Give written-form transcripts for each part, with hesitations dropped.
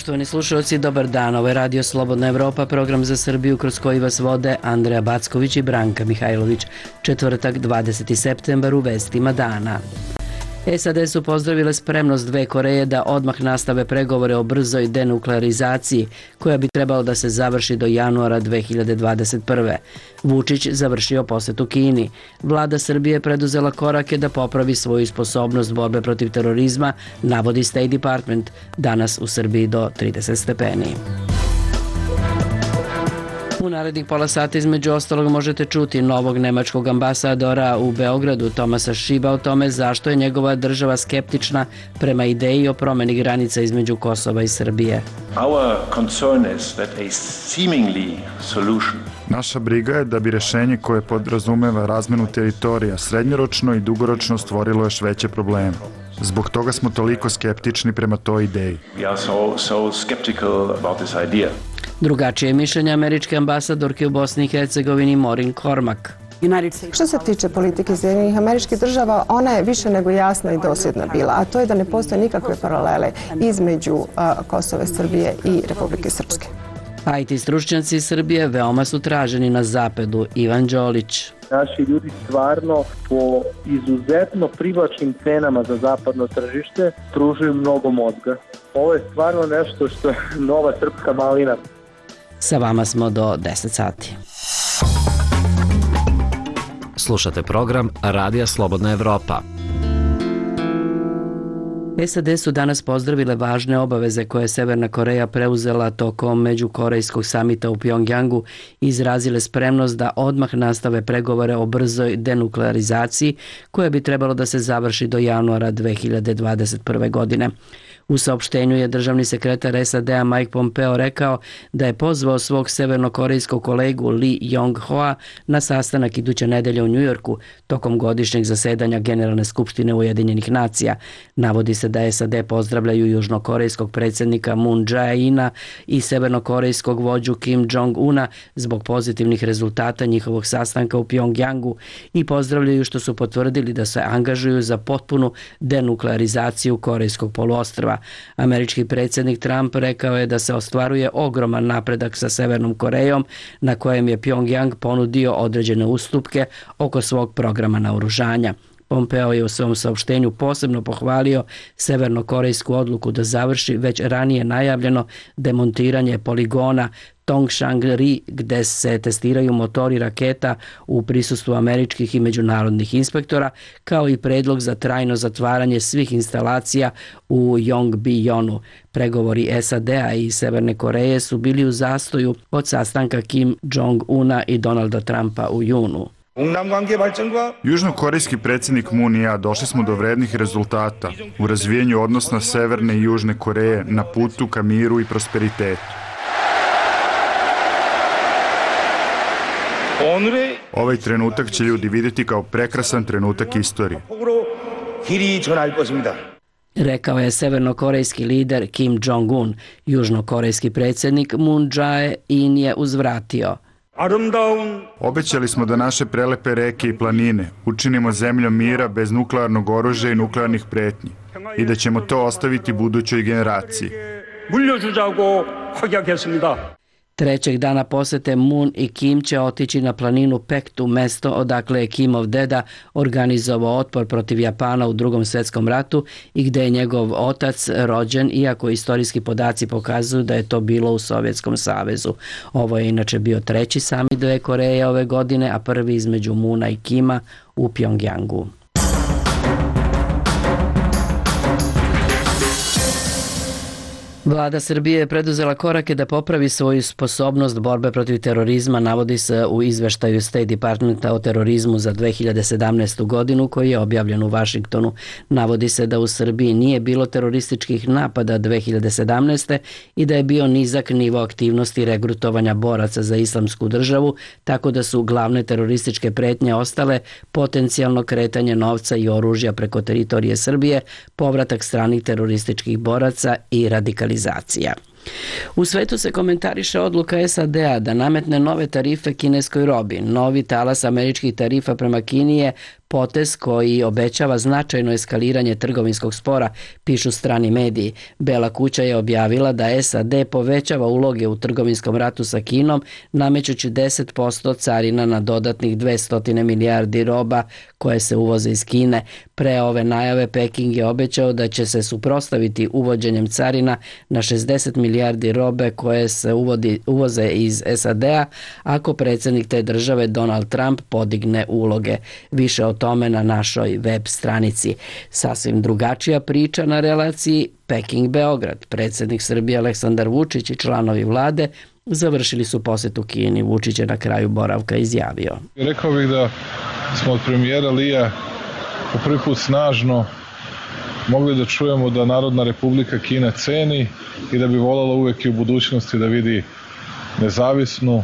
Poštovani slušalci, dobar dan. Ovo je Radio Slobodna Evropa, program za Srbiju kroz koji vas vode Andreja Backović i Branka Mihajlović. Četvrtak, 20. septembar, u vestima dana. SAD su pozdravile spremnost dve Koreje da odmah nastave pregovore o brzoj denuklearizaciji, koja bi trebalo da se završi do januara 2021. Vučić završio posetu Kini. Vlada Srbije preduzela korake da popravi svoju sposobnost borbe protiv terorizma, navodi State Department. Danas u Srbiji do 30 stepeni. U narednih pola sata između ostalog možete čuti novog nemačkog ambasadora u Beogradu, Tomasa Šiba, o tome zašto je njegova država skeptična prema ideji o promeni granica između Kosova i Srbije. Naša briga je da bi rešenje koje podrazumeva razmenu teritorija srednjoročno i dugoročno stvorilo još veće probleme. Zbog toga smo toliko skeptični prema toj ideji. Drugačije mišljenje američke ambasadorke u Bosni i Hercegovini Maureen Cormack. Što se tiče politike Sjedinjenih Američkih Država, ona je više nego jasna i dosljedna bila, a to je da ne postoje nikakve paralele između Kosova, Srbije i Republike Srpske. IT stručnjaci Srbije veoma su traženi na zapadu. Ivan Đolić. Naši ljudi stvarno po izuzetno privlačnim cenama za zapadno tržište pružuju mnogo mozga. Ovo je stvarno nešto što je nova srpska malina. Sa vama smo do 10 sati. Slušate program Radija Slobodna Evropa. SAD su danas pozdravile važne obaveze koje je Severna Koreja preuzela tokom međukorejskog samita u Pjongjangu i izrazile spremnost da odmah nastave pregovore o brzoj denuklearizaciji koja bi trebalo da se završi do januara 2021. godine. U saopštenju je državni sekretar SAD-a Mike Pompeo rekao da je pozvao svog severnokorejskog kolegu Lee Yong-hoa na sastanak iduće nedelje u Njujorku tokom godišnjeg zasedanja Generalne skupštine Ujedinjenih nacija. Navodi se da SAD pozdravljaju južnokorejskog predsjednika Moon Jae-ina i severnokorejskog vođu Kim Jong-una zbog pozitivnih rezultata njihovog sastanka u Pjongjangu i pozdravljaju što su potvrdili da se angažuju za potpunu denuklearizaciju Korejskog poluostrva. Američki predsjednik Trump rekao je da se ostvaruje ogroman napredak sa Severnom Korejom, na kojem je Pjongjang ponudio određene ustupke oko svog programa naoružanja. Pompeo je u svom saopštenju posebno pohvalio severnokorejsku odluku da završi već ranije najavljeno demontiranje poligona Tongshang-ri gde se testiraju motori raketa u prisustvu američkih i međunarodnih inspektora, kao i predlog za trajno zatvaranje svih instalacija u Yongbyon-u. Pregovori SAD-a i Severne Koreje su bili u zastoju od sastanka Kim Jong-una i Donalda Trumpa u junu. Južnokorejski predsjednik Moon i ja došli smo do vrednih rezultata u razvijenju odnosa Severne i Južne Koreje na putu ka miru i prosperitetu. Ovaj trenutak će ljudi vidjeti kao prekrasan trenutak istorije. Rekao je severnokorejski lider Kim Jong-un. Južnokorejski predsjednik Moon Jae-in je uzvratio. Obećali smo da naše prelepe reke i planine učinimo zemljom mira bez nuklearnog oružja i nuklearnih pretnji i da ćemo to ostaviti budućoj generaciji. Trećeg dana posete Moon i Kim će otići na planinu Pektu, mesto odakle je Kimov deda organizovao otpor protiv Japana u Drugom svjetskom ratu i gde je njegov otac rođen, iako istorijski podaci pokazuju da je to bilo u Sovjetskom savezu. Ovo je inače bio treći samit dve Koreje ove godine, a prvi između Moona i Kima u Pjongjangu. Vlada Srbije je preduzela korake da popravi svoju sposobnost borbe protiv terorizma, navodi se u izveštaju State Departmenta o terorizmu za 2017. godinu koji je objavljen u Vašingtonu. Navodi se da u Srbiji nije bilo terorističkih napada 2017. i da je bio nizak nivo aktivnosti regrutovanja boraca za islamsku državu, tako da su glavne terorističke pretnje ostale potencijalno kretanje novca i oružja preko teritorije Srbije, povratak stranih terorističkih boraca i radikalizacija. U svetu se komentariše odluka SAD-a da nametne nove tarife kineskoj robi. Novi talas američkih tarifa prema Kini je potez koji obećava značajno eskaliranje trgovinskog spora, pišu strani mediji. Bela kuća je objavila da SAD povećava uloge u trgovinskom ratu sa Kinom, namećući 10% carina na dodatnih 200 milijardi roba koje se uvoze iz Kine. Pre ove najave Peking je obećao da će se suprotstaviti uvođenjem carina na 60 milijardi robe koje se uvoze iz SAD-a ako predsjednik te države Donald Trump podigne uloge. Više o tome na našoj web stranici. Sasvim drugačija priča na relaciji Peking-Beograd. Predsjednik Srbije Aleksandar Vučić i članovi vlade završili su posjetu Kini. Vučić je na kraju boravka izjavio. Rekao bih da smo od premijera Lija po prvi put snažno mogli da čujemo da Narodna Republika Kina ceni i da bi voljela uvek i u budućnosti da vidi nezavisnu,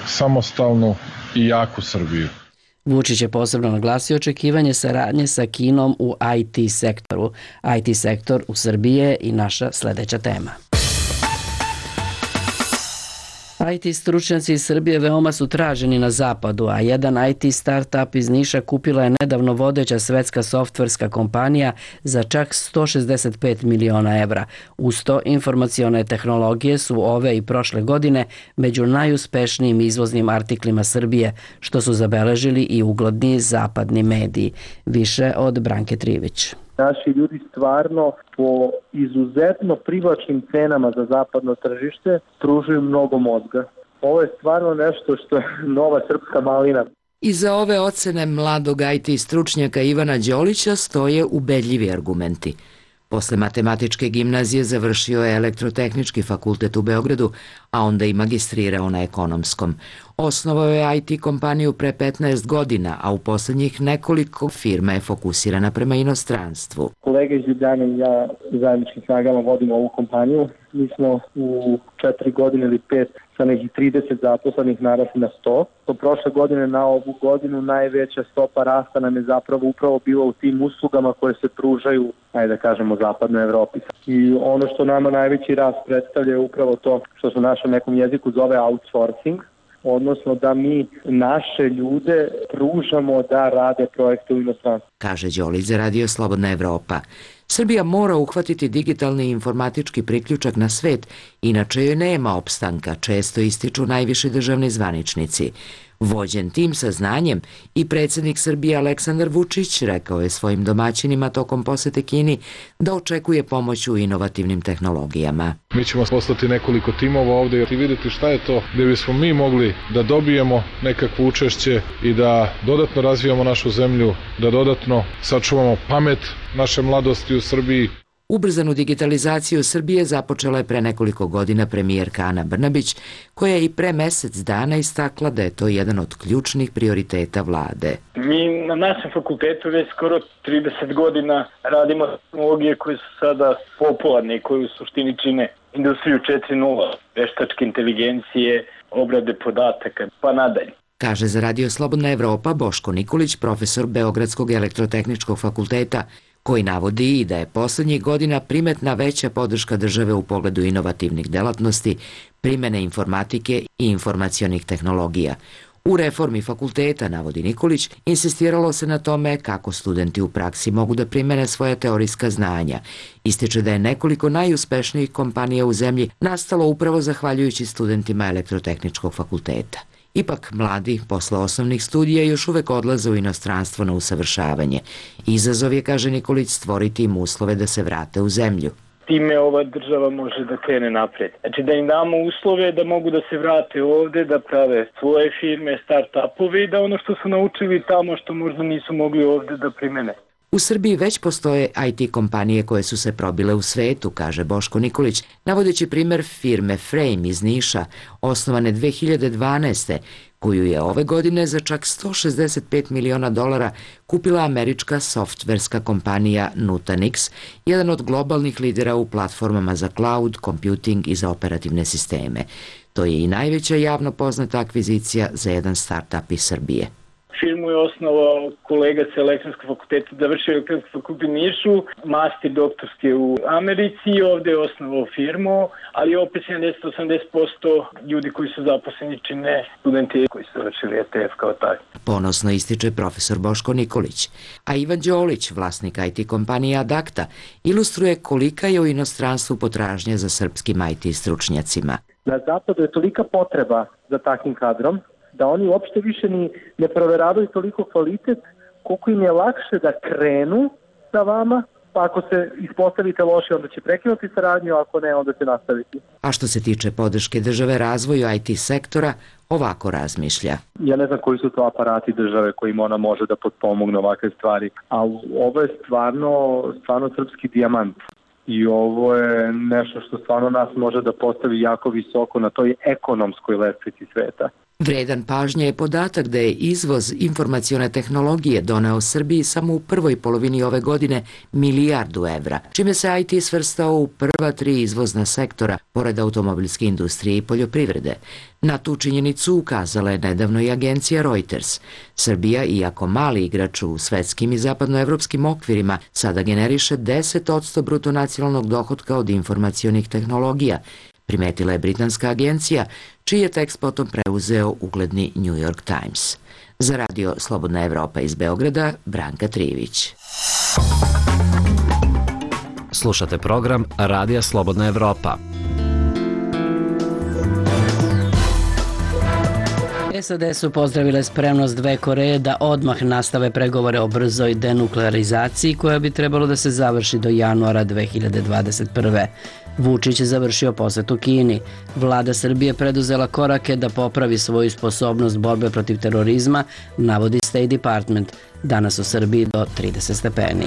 samostalnu i jaku Srbiju. Vučić je posebno naglasio očekivanje saradnje sa Kinom u IT sektoru. IT sektor u Srbiji je i naša sljedeća tema. IT stručnjaci iz Srbije veoma su traženi na zapadu, a jedan IT startup iz Niša kupila je nedavno vodeća svetska softverska kompanija za čak 165 miliona evra. Uz to, informacione tehnologije su ove i prošle godine među najuspešnijim izvoznim artiklima Srbije, što su zabeležili i ugledni zapadni mediji. Više od Branke Trivić. Naši ljudi stvarno po izuzetno privlačnim cenama za zapadno tržište pružuju mnogo mozga. Ovo je stvarno nešto što je nova srpska malina. Iza ove ocene mladog IT stručnjaka Ivana Đolića stoje ubedljivi argumenti. Posle matematičke gimnazije završio je Elektrotehnički fakultet u Beogradu, a onda i magistrirao na ekonomskom. Osnovao je IT kompaniju pre 15 godina, a u poslednjih nekoliko firma je fokusirana prema inostranstvu. Kolega iz Ljubljane i ja zajedničkim snagama vodimo ovu kompaniju. Mi smo u 4 godine ili 5 sa nekih 30 zaposlenih narasli na 100. Do prošle godine na ovu godinu najveća stopa rasta nam je zapravo upravo bila u tim uslugama koje se pružaju, ajde da kažemo, zapadnoj Evropi. I ono što nama najveći rast predstavlja je upravo to što se u našem nekom jeziku zove outsourcing, odnosno da mi naše ljude pružamo da rade projekte u inostranstvu. Kaže Đolić za Radio Slobodna Evropa. Srbija mora uhvatiti digitalni i informatički priključak na svet, inače joj nema opstanka, često ističu najviši državni zvaničnici. Vođen tim saznanjem i predsjednik Srbije Aleksandar Vučić rekao je svojim domaćinima tokom posete Kini da očekuje pomoć u inovativnim tehnologijama. Mi ćemo poslati nekoliko timova ovdje i vidjeti šta je to gdje bismo mi mogli da dobijemo nekakvo učešće i da dodatno razvijamo našu zemlju, da dodatno sačuvamo pamet naše mladosti u Srbiji. Ubrzanu digitalizaciju Srbije započela je pre nekoliko godina premijerka Ana Brnabić, koja je i pre mesec dana istakla da je to jedan od ključnih prioriteta vlade. Mi na našem fakultetu već skoro 30 godina radimo tehnologije koje su sada popularne i koje u suštini čine industriju 4.0, veštačke inteligencije, obrade podataka, pa nadalje. Kaže za Radio Slobodna Evropa Boško Nikolić, profesor Beogradskog elektrotehničkog fakulteta, koji navodi i da je poslednjih godina primetna veća podrška države u pogledu inovativnih delatnosti, primene informatike i informacionih tehnologija. U reformi fakulteta, navodi Nikolić, insistiralo se na tome kako studenti u praksi mogu da primene svoja teorijska znanja. Ističe da je nekoliko najuspešnijih kompanija u zemlji nastalo upravo zahvaljujući studentima Elektrotehničkog fakulteta. Ipak, mladi posle osnovnih studija još uvek odlaze u inostranstvo na usavršavanje. Izazov je, kaže Nikolić, stvoriti im uslove da se vrate u zemlju. Time ova država može da krene napred. Znači da im damo uslove da mogu da se vrate ovde, da prave svoje firme, start-upove i da ono što su naučili tamo što možda nisu mogli ovde da primene. U Srbiji već postoje IT kompanije koje su se probile u svetu, kaže Boško Nikolić, navodeći primer firme Frame iz Niša, osnovane 2012. koju je ove godine za čak $165 miliona kupila američka softverska kompanija Nutanix, jedan od globalnih lidera u platformama za cloud, computing i za operativne sisteme. To je i najveća javno poznata akvizicija za jedan startup iz Srbije. Firmu je osnovao kolega sa elektronskog fakulteta, završio elektronski fakultet u Nišu, master doktorski u Americi i ovde je osnovao firmu, ali opet 70-80% ljudi koji su zaposleni čine studenti koji su završili ETF kao taj. Ponosno ističe profesor Boško Nikolić, a Ivan Đolić, vlasnik IT kompanije Adakta, ilustruje kolika je u inostranstvu potražnja za srpskim IT stručnjacima. Na zapadu je tolika potreba za takvim kadrom da oni uopšte više ne proveravaju toliko kvalitet koliko im je lakše da krenu sa vama, pa ako se ispostavite loše onda će prekinuti saradnju, ako ne onda će nastaviti. A što se tiče podrške države razvoju IT sektora, ovako razmišlja. Ja ne znam koji su to aparati države kojim ona može da potpomogne ovakve stvari, ali ovo je stvarno srpski dijamant. I ovo je nešto što stvarno nas može da postavi jako visoko na toj ekonomskoj lestvici sveta. Vredan pažnje je podatak da je izvoz informacione tehnologije doneo Srbiji samo u prvoj polovini ove godine milijardu evra, čime se IT svrstao u prva 3 izvozna sektora, pored automobilske industrije i poljoprivrede. Na tu činjenicu ukazala je nedavno i agencija Reuters. Srbija, iako mali igrač u svetskim i zapadnoevropskim okvirima, sada generiše 10% bruto nacionalnog dohotka od informacionih tehnologija, primetila je britanska agencija, čiji je tekst potom preuzeo ugledni New York Times. Za radio Slobodna Evropa iz Beograda, Branka Trivić. Slušate program Radija Slobodna Evropa. SAD su pozdravile spremnost dve Koreje da odmah nastave pregovore o brzoj denuklearizaciji koja bi trebalo da se završi do januara 2021. Vučić je završio posetu Kini. Vlada Srbije preduzela korake da popravi svoju sposobnost borbe protiv terorizma, navodi State Department. Danas u Srbiji do 30 stepeni.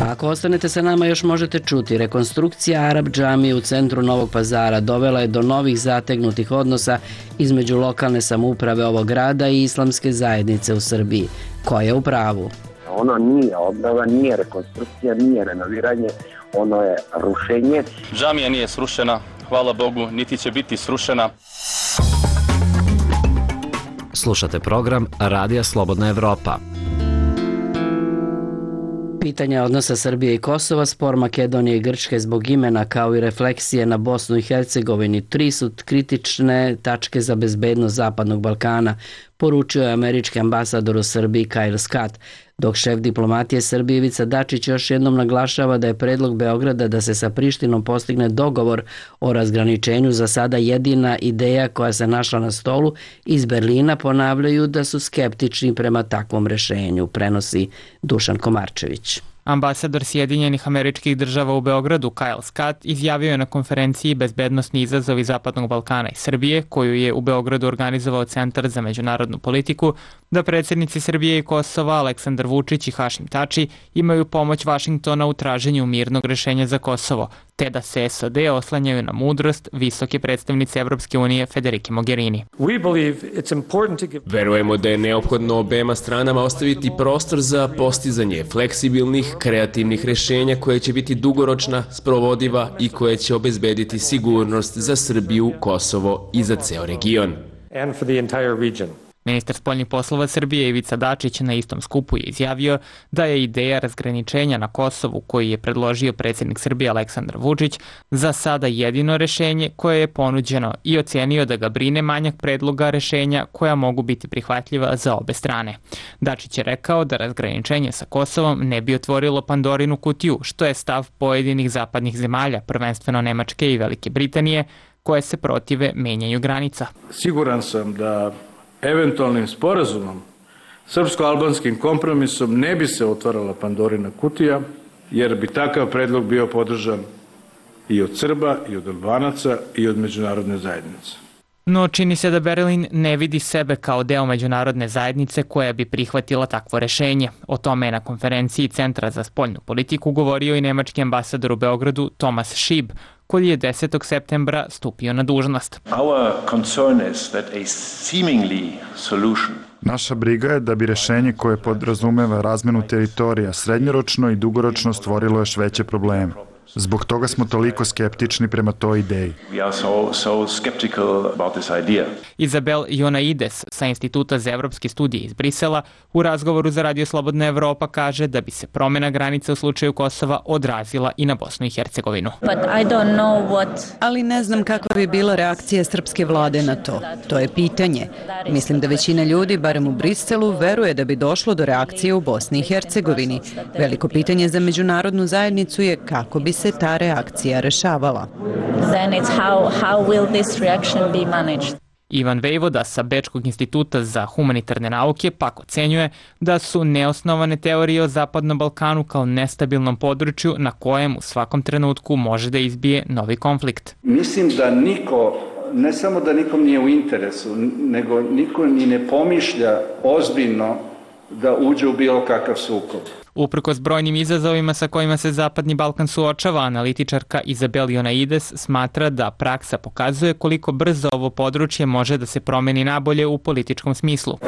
Ako ostanete sa nama još možete čuti, rekonstrukcija Arab džamije u centru Novog Pazara dovela je do novih zategnutih odnosa između lokalne samouprave ovog grada i islamske zajednice u Srbiji. Ko je u pravu? Ono nije obnova, nije rekonstrukcija, nije renoviranje, ono je rušenje. Džamija nije srušena, hvala Bogu, niti će biti srušena. Slušate program Radija Slobodna Evropa. Pitanje odnosa Srbije i Kosova, spor Makedonije i Grčke zbog imena kao i refleksije na Bosnu i Hercegovini, 3 su kritične tačke za bezbednost Zapadnog Balkana, poručio je američki ambasador u Srbiji Kyle Scott, dok šef diplomatije Srbije Ivica Dačić još jednom naglašava da je predlog Beograda da se sa Prištinom postigne dogovor o razgraničenju za sada jedina ideja koja se našla na stolu. Iz Berlina ponavljaju da su skeptični prema takvom rešenju, prenosi Dušan Komarčević. Ambasador Sjedinjenih Američkih Država u Beogradu Kyle Scott izjavio je na konferenciji Bezbednosni izazovi Zapadnog Balkana i Srbije, koju je u Beogradu organizovao Centar za međunarodnu politiku, da predsjednici Srbije i Kosova Aleksandar Vučić i Hašim Tači imaju pomoć Vašingtona u traženju mirnog rešenja za Kosovo, te da se SAD oslanjaju na mudrost visoke predstavnice Evropske unije Federike Mogherini. Verujemo da je neophodno obema stranama ostaviti prostor za postizanje fleksibilnih, kreativnih rešenja koje će biti dugoročna, sprovodiva i koje će obezbediti sigurnost za Srbiju, Kosovo i za ceo region. Ministar spoljnih poslova Srbije Ivica Dačić na istom skupu je izjavio da je ideja razgraničenja na Kosovu koju je predložio predsjednik Srbije Aleksandar Vučić za sada jedino rešenje koje je ponuđeno i ocenio da ga brine manjak predloga rešenja koja mogu biti prihvatljiva za obe strane. Dačić je rekao da razgraničenje sa Kosovom ne bi otvorilo Pandorinu kutiju, što je stav pojedinih zapadnih zemalja, prvenstveno Nemačke i Velike Britanije, koje se protive menjanju granica. Siguran sam da eventualnim sporazumom, srpsko-albanskim kompromisom ne bi se otvarala Pandorina kutija, jer bi takav predlog bio podržan i od Srba, i od Albanaca, i od međunarodne zajednice. No čini se da Berlin ne vidi sebe kao deo međunarodne zajednice koja bi prihvatila takvo rešenje. O tome je na konferenciji Centra za spoljnu politiku govorio i nemački ambasador u Beogradu Thomas Schieb, koji je 10. septembra stupio na dužnost. Naša briga je da bi rešenje koje podrazumeva razmenu teritorija srednjoročno i dugoročno stvorilo još veće probleme. Zbog toga smo toliko skeptični prema toj ideji. Izabel Jonaides sa Instituta za evropske studije iz Brisela u razgovoru za Radio Slobodna Evropa kaže da bi se promjena granica u slučaju Kosova odrazila i na Bosnu i Hercegovinu. Ali ne znam kakva bi bila reakcija srpske vlade na to. To je pitanje. Mislim da većina ljudi, barem u Briselu, veruje da bi došlo do reakcije u Bosni i Hercegovini. Veliko pitanje za međunarodnu zajednicu je kako bi se ta reakcija rešavala. Ivan Vejvoda sa Bečkog instituta za humanitarne nauke pak ocenjuje da su neosnovane teorije o Zapadnom Balkanu kao nestabilnom području na kojem u svakom trenutku može da izbije novi konflikt. Mislim da niko, ne samo da nikom nije u interesu, nego niko ni ne pomišlja ozbiljno da uđe u bilo kakav sukob. Uprkos brojnim izazovima sa kojima se Zapadni Balkan suočava, analitičarka Izabel Jonaides smatra da praksa pokazuje koliko brzo ovo područje može da se promeni nabolje u političkom smislu.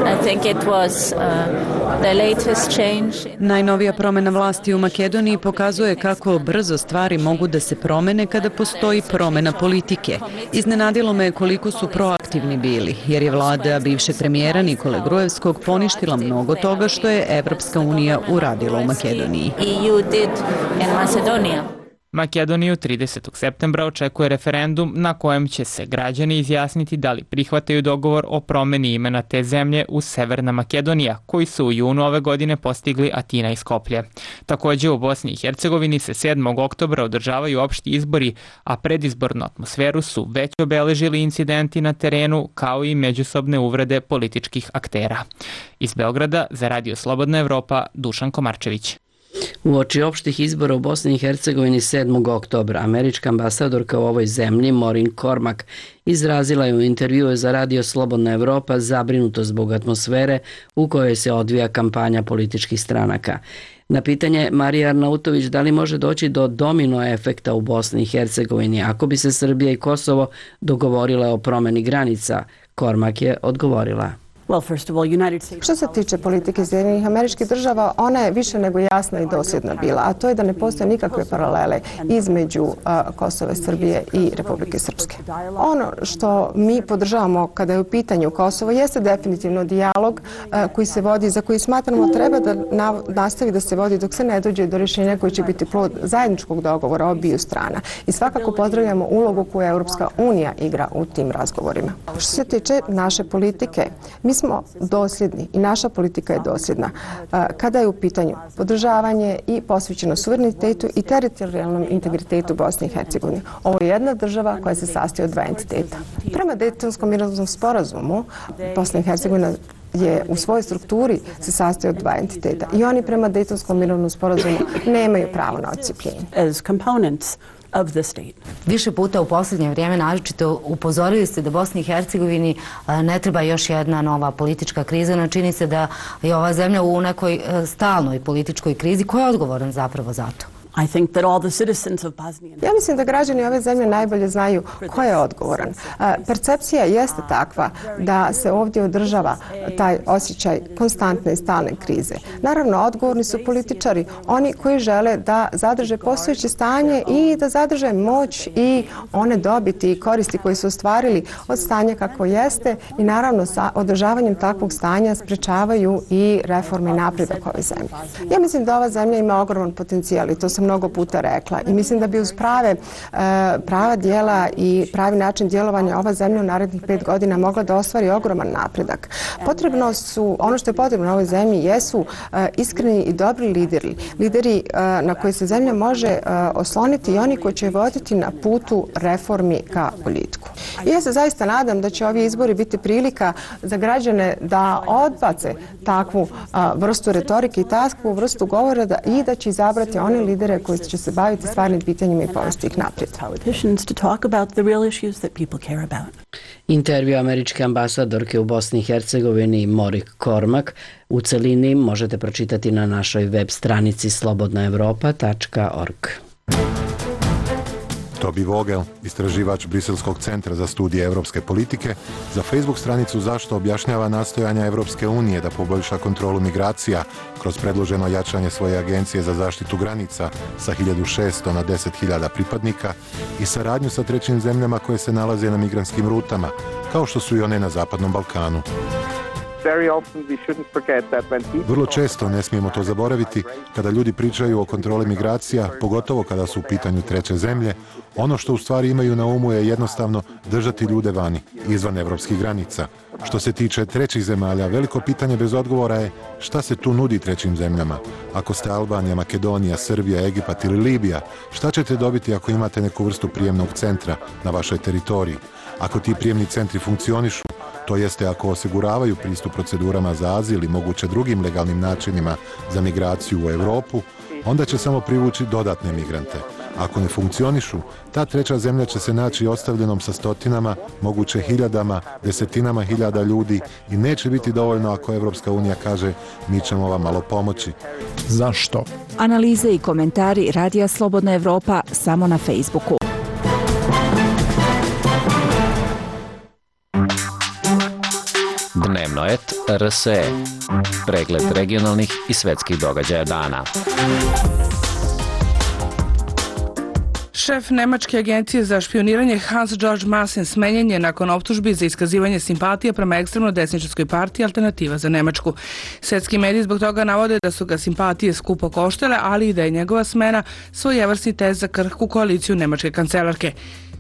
Najnovija promjena vlasti u Makedoniji pokazuje kako brzo stvari mogu da se promene kada postoji promjena politike. Iznenadilo me koliko su proaktivni bili, jer je vlada bivšeg premijera Nikole Gruevskog poništila mnogo toga što je Evropska unija uradila u Makedoniji. Makedoniju 30. septembra očekuje referendum na kojem će se građani izjasniti da li prihvataju dogovor o promjeni imena te zemlje u Severna Makedonija, koji su u junu ove godine postigli Atina i Skoplje. Također u Bosni i Hercegovini se 7. oktobra održavaju opšti izbori, a predizbornu atmosferu su već obeležili incidenti na terenu kao i međusobne uvrede političkih aktera. Iz Beograda za Radio Slobodna Evropa, Dušan Komarčević. Uoči opštih izbora u Bosni i Hercegovini 7. oktobra, američka ambasadorka u ovoj zemlji, Maureen Cormack, izrazila je u intervjuu za Radio Slobodna Evropa zabrinutost zbog atmosfere u kojoj se odvija kampanja političkih stranaka. Na pitanje Marije Arnautović da li može doći do domino efekta u Bosni i Hercegovini ako bi se Srbija i Kosovo dogovorile o promjeni granica, Cormack je odgovorila. Što se tiče politike Sjedinjenih Američkih Država, ona je više nego jasna i dosljedna bila, a to je da ne postoje nikakve paralele između Kosova, Srbije i Republike Srpske. Ono što mi podržavamo kada je u pitanju Kosovo jeste definitivno dijalog koji se vodi, za koji smatramo treba da nastavi da se vodi dok se ne dođe do rješenja koji će biti plod zajedničkog dogovora obiju strana. I svakako pozdravljamo ulogu koju Europska unija igra u tim razgovorima. Što se tiče naše politike, mi smo dosljedni i naša politika je dosljedna kada je u pitanju podržavanje i posvećeno suverenitetu i teritorijalnom integritetu Bosne i Hercegovine. Ovo je jedna država koja se sastoji od dva entiteta. Prema Dejtonskom mirovnom sporazumu Bosna i Hercegovina je u svojoj strukturi se sastoji od dva entiteta i oni prema Dejtonskom mirovnom sporazumu nemaju pravo na odcijepljenje. Više puta u posljednje vrijeme naročito upozorili ste da Bosni i Hercegovini ne treba još jedna nova politička kriza, no čini se da je ova zemlja u nekoj stalnoj političkoj krizi. Ko je odgovoran zapravo za to? Ja mislim da građani ove zemlje najbolje znaju ko je odgovoran. Percepcija jeste takva da se ovdje održava taj osjećaj konstantne i stalne krize. Naravno, odgovorni su političari, oni koji žele da zadrže postojeće stanje i da zadrže moć i one dobiti i koristi koje su ostvarili od stanja kako jeste i naravno sa održavanjem takvog stanja sprečavaju i reforme i napredak ove zemlje. Ja mislim da ova zemlja ima ogroman potencijal i to sam mnogo puta rekla i mislim da bi uz prava dijela i pravi način djelovanja ova zemlja u narednih 5 godina mogla da ostvari ogroman napredak. Ono što je potrebno na ovoj zemlji jesu iskreni i dobri lideri na koje se zemlja može osloniti i oni koji će voditi na putu reformi ka boljitku. I ja se zaista nadam da će ovi izbori biti prilika za građane da odbace takvu vrstu retorike i takvu vrstu govora i da će izabrati one lidere koji će se baviti stvarnim pitanjima i povesti ih naprijed. Intervju američke ambasadorke u Bosni i Hercegovini Maureen Cormack u celini možete pročitati na našoj web stranici slobodnaevropa.org. Toby Vogel, istraživač Briselskog centra za studije europske politike, za Facebook stranicu Zašto objašnjava nastojanja Evropske unije da poboljša kontrolu migracija kroz predloženo jačanje svoje agencije za zaštitu granica sa 1600 na 10.000 pripadnika i saradnju sa trećim zemljama koje se nalaze na migrantskim rutama, kao što su i one na Zapadnom Balkanu. Vrlo često ne smijemo to zaboraviti kada ljudi pričaju o kontroli migracija, pogotovo kada su u pitanju treće zemlje. Ono što u stvari imaju na umu je jednostavno držati ljude vani, izvan evropskih granica. Što se tiče trećih zemalja, veliko pitanje bez odgovora je šta se tu nudi trećim zemljama. Ako ste Albanija, Makedonija, Srbija, Egipat ili Libija, šta ćete dobiti ako imate neku vrstu prijemnog centra na vašoj teritoriji? Ako ti prijemni centri funkcionišu, to jeste ako osiguravaju pristup procedurama za azil i moguće drugim legalnim načinima za migraciju u Europu, onda će samo privući dodatne migrante. Ako ne funkcionišu, ta treća zemlja će se naći ostavljenom sa stotinama, moguće hiljadama, desetinama hiljada ljudi i neće biti dovoljno ako Evropska unija kaže mi ćemo vam malo pomoći. Zašto? Analize i komentari Radija Slobodna Evropa samo na Facebooku. Dnevnoet RSE. Pregled regionalnih i svetskih događaja dana. Šef Nemačke agencije za špioniranje Hans-Georg Maassen smenjen je nakon optužbi za iskazivanje simpatija prema ekstremno desničarskoj partiji Alternativa za Nemačku. Svetski mediji zbog toga navode da su ga simpatije skupo koštele, ali i da je njegova smena svojevrsni test za krhku koaliciju nemačke kancelarke.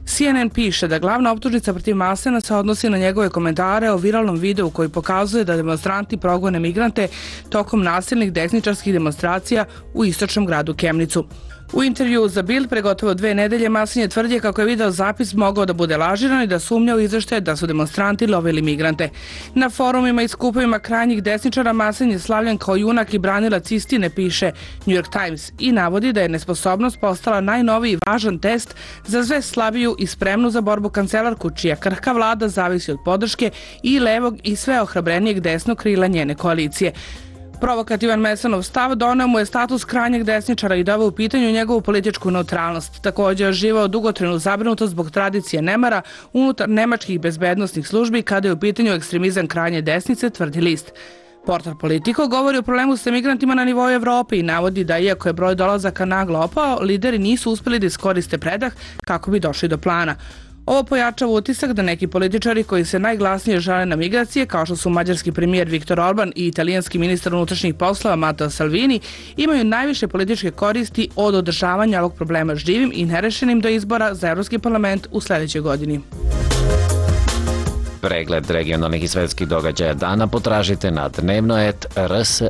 CNN piše da glavna optužnica protiv Maassena se odnosi na njegove komentare o viralnom videu koji pokazuje da demonstranti progone migrante tokom nasilnih desničarskih demonstracija u istočnom gradu Kemnicu. U intervjuu za Bild pre gotovo 2 nedelje Maassen je tvrdio kako je video zapis mogao da bude lažiran i da sumnja u izveštaje da su demonstranti lovili migrante. Na forumima i skupovima krajnjih desničara Maassen je slavljen kao junak i branilac istine, piše New York Times, i navodi da je nesposobnost postala najnoviji važan test za sve slabiju i spremnu za borbu kancelarku, čija krhka vlada zavisi od podrške i levog i sve ohrabrenijeg desnog krila njene koalicije. Provokativan Maassennov stav doneo mu je status krajnjeg desničara i doveo u pitanju njegovu političku neutralnost. Također je živao dugotrajnu zabrinutost zbog tradicije nemara unutar nemačkih bezbednosnih službi kada je u pitanju ekstremizam krajnje desnice, tvrdi list. Portal Politico govori o problemu sa migrantima na nivou Evrope i navodi da iako je broj dolazaka naglo opao, lideri nisu uspeli da iskoriste predah kako bi došli do plana. Ovo pojačava utisak da neki političari koji se najglasnije žale na migracije, kao što su mađarski premijer Viktor Orban i italijanski ministar unutrašnjih poslova Matteo Salvini, imaju najviše političke koristi od održavanja ovog problema živim i nerešenim do izbora za Evropski parlament u sledećoj godini. Pregled regionalnih i svetskih događaja dana potražite na Dnevnoet RSE,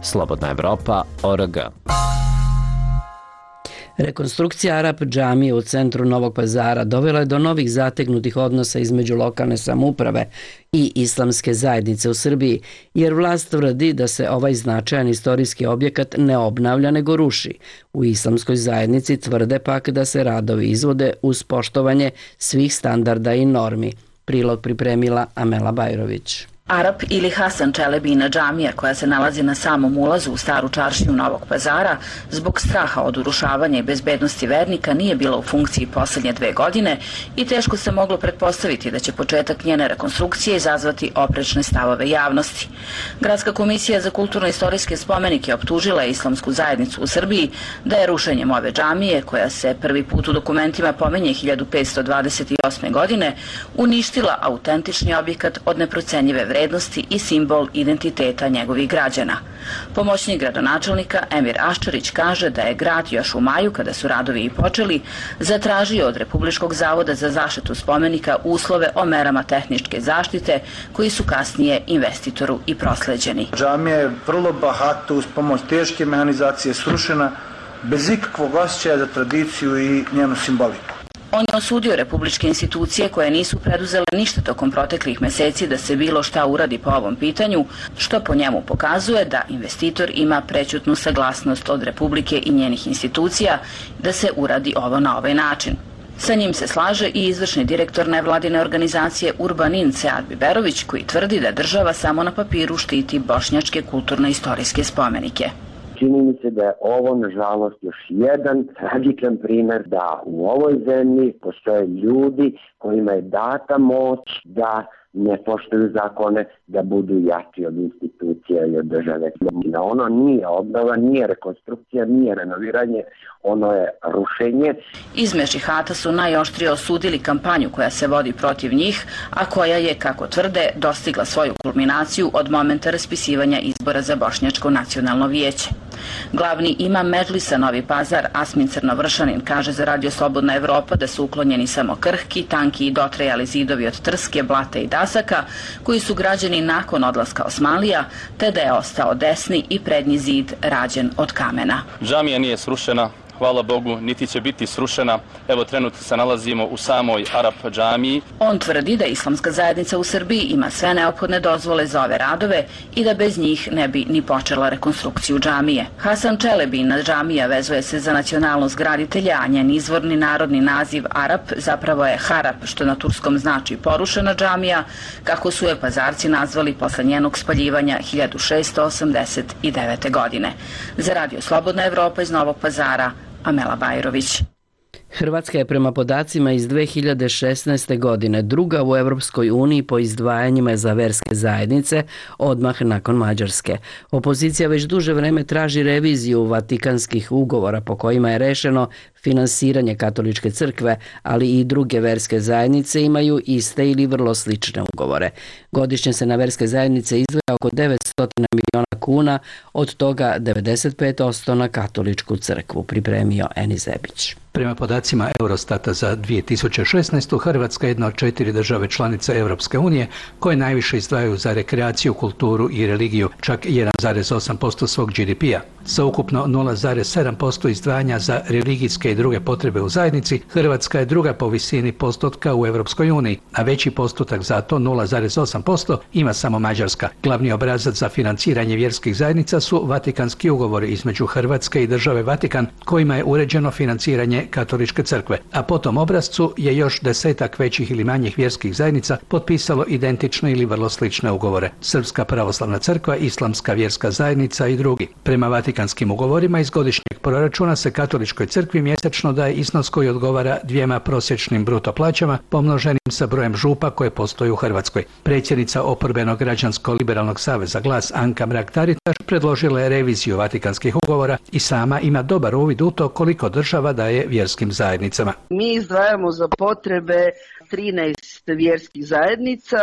slobodnaevropa.org. Rekonstrukcija Arap džamije u centru Novog Pazara dovela je do novih zategnutih odnosa između lokalne samouprave i islamske zajednice u Srbiji, jer vlast tvrdi da se ovaj značajan istorijski objekat ne obnavlja nego ruši. U islamskoj zajednici tvrde pak da se radovi izvode uz poštovanje svih standarda i normi. Prilog pripremila Amela Bajrović. Arap ili Hasan Čelebina džamija, koja se nalazi na samom ulazu u staru čaršiju Novog Pazara, zbog straha od urušavanja i bezbednosti vernika nije bila u funkciji poslednje 2 godine i teško se moglo pretpostaviti da će početak njene rekonstrukcije izazvati oprečne stavove javnosti. Gradska komisija za kulturno-istorijske spomenike optužila je islamsku zajednicu u Srbiji da je rušenjem ove džamije, koja se prvi put u dokumentima pominje 1528. godine, uništila autentični objekat od neprocenjive vrednosti i simbol identiteta njegovih građana. Pomoćnik gradonačelnika Emir Aščarić kaže da je grad još u maju, kada su radovi i počeli, zatražio od Republičkog zavoda za zaštitu spomenika uslove o merama tehničke zaštite, koji su kasnije investitoru i prosleđeni. Džamija je vrlo bahato uz pomoć teške mehanizacije srušena, bez ikakvog osjećaja za tradiciju i njenu simboliku. On je osudio republičke institucije koje nisu preduzele ništa tokom proteklih meseci da se bilo šta uradi po ovom pitanju, što po njemu pokazuje da investitor ima prećutnu saglasnost od Republike i njenih institucija da se uradi ovo na ovaj način. Sa njim se slaže i izvršni direktor nevladine organizacije Urbanin Sead Biberović, koji tvrdi da država samo na papiru štiti bošnjačke kulturno-istorijske spomenike. čini mi se da je ovo, nažalost, još jedan tragičan primer da u ovoj zemlji postoje ljudi kojima je data moć da ne poštuju zakone, da budu jači od institucija i od države. Ono nije obnova, nije rekonstrukcija, nije renoviranje, ono je rušenje. Izme džihata su najoštrije osudili kampanju koja se vodi protiv njih, a koja je, kako tvrde, dostigla svoju kulminaciju od momenta raspisivanja izbora za Bošnjačko nacionalno vijeće. Glavni imam Medžlisa Novi Pazar, Asmin Crnovršanin, kaže za Radio Slobodna Evropa da su uklonjeni samo krhki, tanki i dotrajali zidovi od trske, blata i dasaka, koji su građeni nakon odlaska Osmanlija, te da je ostao desni i prednji zid rađen od kamena. Džamija nije srušena, hvala Bogu, niti će biti srušena. Evo, trenutno se nalazimo u samoj Arap džamiji. On tvrdi da islamska zajednica u Srbiji ima sve neophodne dozvole za ove radove i da bez njih ne bi ni počela rekonstrukciju džamije. Hasan Čelebina džamija vezuje se za nacionalnost graditelja, a njen izvorni narodni naziv Arap zapravo je Harap, što na turskom znači porušena džamija, kako su je Pazarci nazvali posle njenog spaljivanja 1689. godine. Za Radio Slobodna Evropa iz Novog Pazara, Amela Bajrović. Hrvatska je prema podacima iz 2016. godine druga u Europskoj uniji po izdvajanjima za verske zajednice, odmah nakon Mađarske. Opozicija već duže vreme traži reviziju Vatikanskih ugovora po kojima je rešeno finansiranje katoličke crkve, ali i druge verske zajednice imaju iste ili vrlo slične ugovore. Godišnje se na verske zajednice izdvaja oko 900 miliona kuna, od toga 95% na katoličku crkvu, pripremio Enis Zebić. Prema podacima Eurostata za 2016. Hrvatska je jedna od 4 države članice Europske unije koje najviše izdvajaju za rekreaciju, kulturu i religiju, čak 1,8% svog GDP-a. Sa ukupno 0,7% izdvajanja za religijske i druge potrebe u zajednici, Hrvatska je druga po visini postotka u Europskoj uniji, a veći postotak za to 0,8% ima samo Mađarska. Glavni obrazac za financiranje vjerskih zajednica su Vatikanski ugovori između Hrvatske i države Vatikan, kojima je uređeno financiranje katoličke crkve, a po tom obrascu je još 10-ak većih ili manjih vjerskih zajednica potpisalo identične ili vrlo slične ugovore. Srpska pravoslavna crkva, Islamska vjerska zajednica i drugi. Prema Vatikanskim ugovorima iz godišnjeg proračuna se katoličkoj crkvi mjesečno daje iznos koji odgovara 2 prosječnim bruto plaćama pomnoženim sa brojem župa koje postoji u Hrvatskoj. Predsjednica oporbenog građansko-liberalnog saveza Glas Anka Mrak-Taritaš predložila je reviziju Vatikanskih ugovora i sama ima dobar uvid u to koliko država daje vjerskim zajednicama. Mi izdvajamo za potrebe 13 vjerskih zajednica,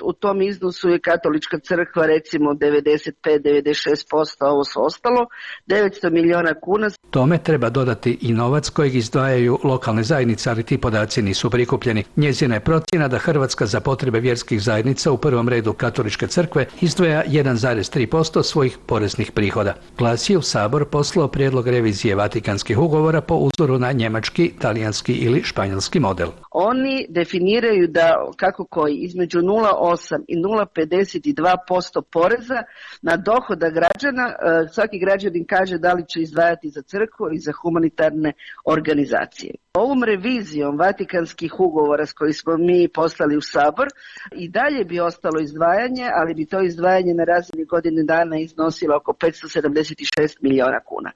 u tom iznosu je katolička crkva recimo 95-96%, a ovo su ostalo, 900 miliona kuna. Tome treba dodati i novac kojeg izdvajaju lokalne zajednice, ali ti podaci nisu prikupljeni. Njezina je procjena da Hrvatska za potrebe vjerskih zajednica, u prvom redu katoličke crkve, izdvaja 1,3% svojih poreznih prihoda. Glas je u Sabor poslao prijedlog revizije Vatikanskih ugovora po uzoru na njemački, talijanski ili španjolski model. Oni definiraju da kako koji između 0,8 i 0,52% poreza na dohodak građana, svaki građanin kaže da li će izdvajati za crkvu ili za humanitarne organizacije. Ovom revizijom Vatikanskih ugovora s kojih smo mi poslali u Sabor i dalje bi ostalo izdvajanje, ali bi to izdvajanje na razini godine dana iznosilo oko 576 miliona kuna.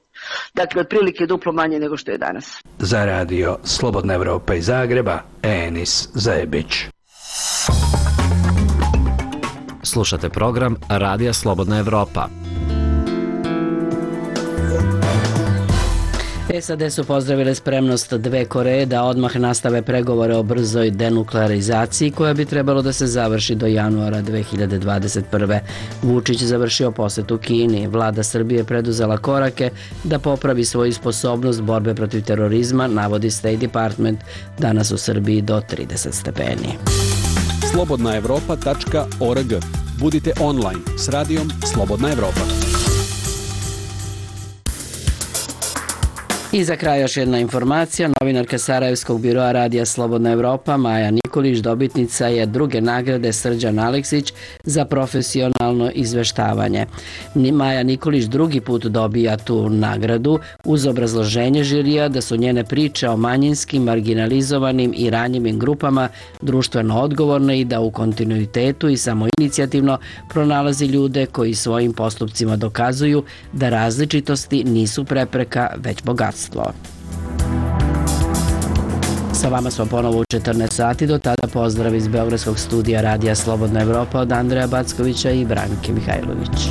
Dakle, otprilike duplo manje nego što je danas. Za Radio Slobodna Evropa iz Zagreba, Enis Zebić. Slušate program Radija Slobodna Evropa. SAD su pozdravile spremnost dve Koreje da odmah nastave pregovore o brzoj denuklearizaciji koja bi trebalo da se završi do januara 2021. Vučić završio posetu Kini. Vlada Srbije preduzela korake da popravi svoju sposobnost borbe protiv terorizma, navodi State Department, danas u Srbiji do 30 stepeni. slobodnaevropa.org. Budite online s radijom Slobodna Evropa. I za kraj još jedna informacija. Novinarka Sarajevskog biroa Radija Slobodna Evropa Maja Nikolić dobitnica je druge nagrade Srđan Aleksić za profesionalno izveštavanje. Maja Nikolić drugi put dobija tu nagradu uz obrazloženje žirija da su njene priče o manjinskim, marginalizovanim i ranjivim grupama društveno odgovorne i da u kontinuitetu i samoinicijativno pronalazi ljude koji svojim postupcima dokazuju da različitosti nisu prepreka, već bogatstvo. Sa vama smo ponovo u 14 sati, do tada pozdrav iz Beogradskog studija Radija Slobodna Evropa od Andreja Backovića i Branke Mihajlović.